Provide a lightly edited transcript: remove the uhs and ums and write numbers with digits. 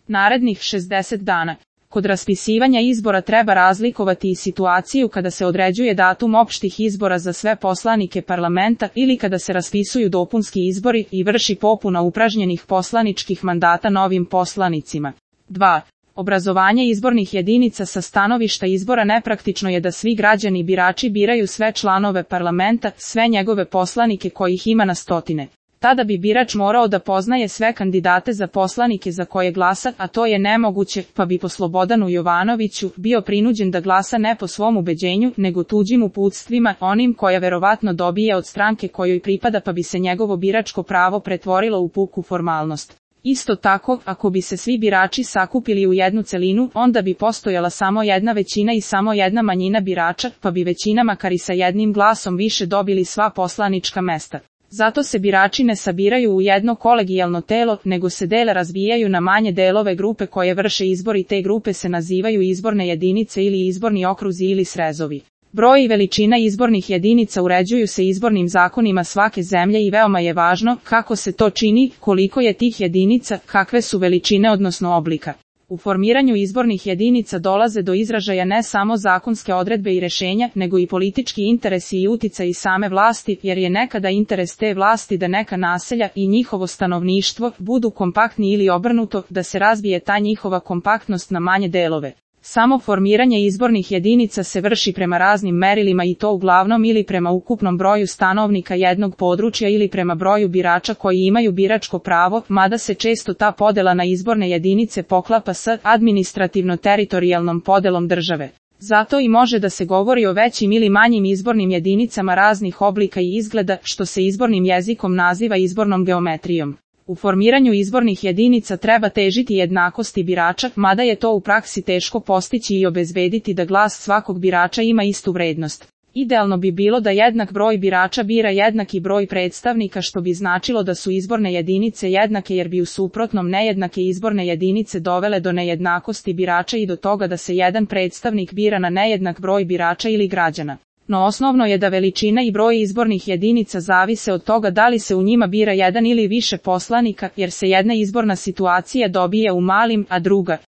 narednih 60 dana. Kod raspisivanja izbora treba razlikovati i situaciju kada se određuje datum opštih izbora za sve poslanike parlamenta ili kada se raspisuju dopunski izbori i vrši popuna upražnjenih poslaničkih mandata novim poslanicima. 2. Obrazovanje izbornih jedinica sa stanovišta izbora nepraktično je da svi građani birači biraju sve članove parlamenta, sve njegove poslanike kojih ima na stotine. Tada bi birač morao da poznaje sve kandidate za poslanike za koje glasa, a to je nemoguće, pa bi po Slobodanu Jovanoviću bio prinuđen da glasa ne po svom ubeđenju, nego tuđim uputstvima, onim koja verovatno dobije od stranke kojoj pripada, pa bi se njegovo biračko pravo pretvorilo u puku formalnost. Isto tako, ako bi se svi birači sakupili u jednu celinu, onda bi postojala samo jedna većina i samo jedna manjina birača, pa bi većina makar i sa jednim glasom više dobili sva poslanička mesta. Zato se birači ne sabiraju u jedno kolegijalno telo, nego se dele razbijaju na manje delove grupe koje vrše izbor i te grupe se nazivaju izborne jedinice ili izborni okruzi ili srezovi. Broj i veličina izbornih jedinica uređuju se izbornim zakonima svake zemlje i veoma je važno kako se to čini, koliko je tih jedinica, kakve su veličine odnosno oblika. U formiranju izbornih jedinica dolaze do izražaja ne samo zakonske odredbe i rešenja, nego i politički interesi i uticaj same vlasti, jer je nekada interes te vlasti da neka naselja i njihovo stanovništvo budu kompaktni ili obrnuto, da se razbije ta njihova kompaktnost na manje delove. Samo formiranje izbornih jedinica se vrši prema raznim merilima i to uglavnom ili prema ukupnom broju stanovnika jednog područja ili prema broju birača koji imaju biračko pravo, mada se često ta podela na izborne jedinice poklapa s administrativno-teritorijalnom podelom države. Zato i može da se govori o većim ili manjim izbornim jedinicama raznih oblika i izgleda, što se izbornim jezikom naziva izbornom geometrijom. U formiranju izbornih jedinica treba težiti jednakosti birača, mada je to u praksi teško postići i obezbediti da glas svakog birača ima istu vrednost. Idealno bi bilo da jednak broj birača bira jednaki broj predstavnika, što bi značilo da su izborne jedinice jednake, jer bi u suprotnom nejednake izborne jedinice dovele do nejednakosti birača i do toga da se jedan predstavnik bira na nejednak broj birača ili građana. No osnovno je da veličina i broj izbornih jedinica zavise od toga da li se u njima bira jedan ili više poslanika, jer se jedna izborna situacija dobije u malim, a druga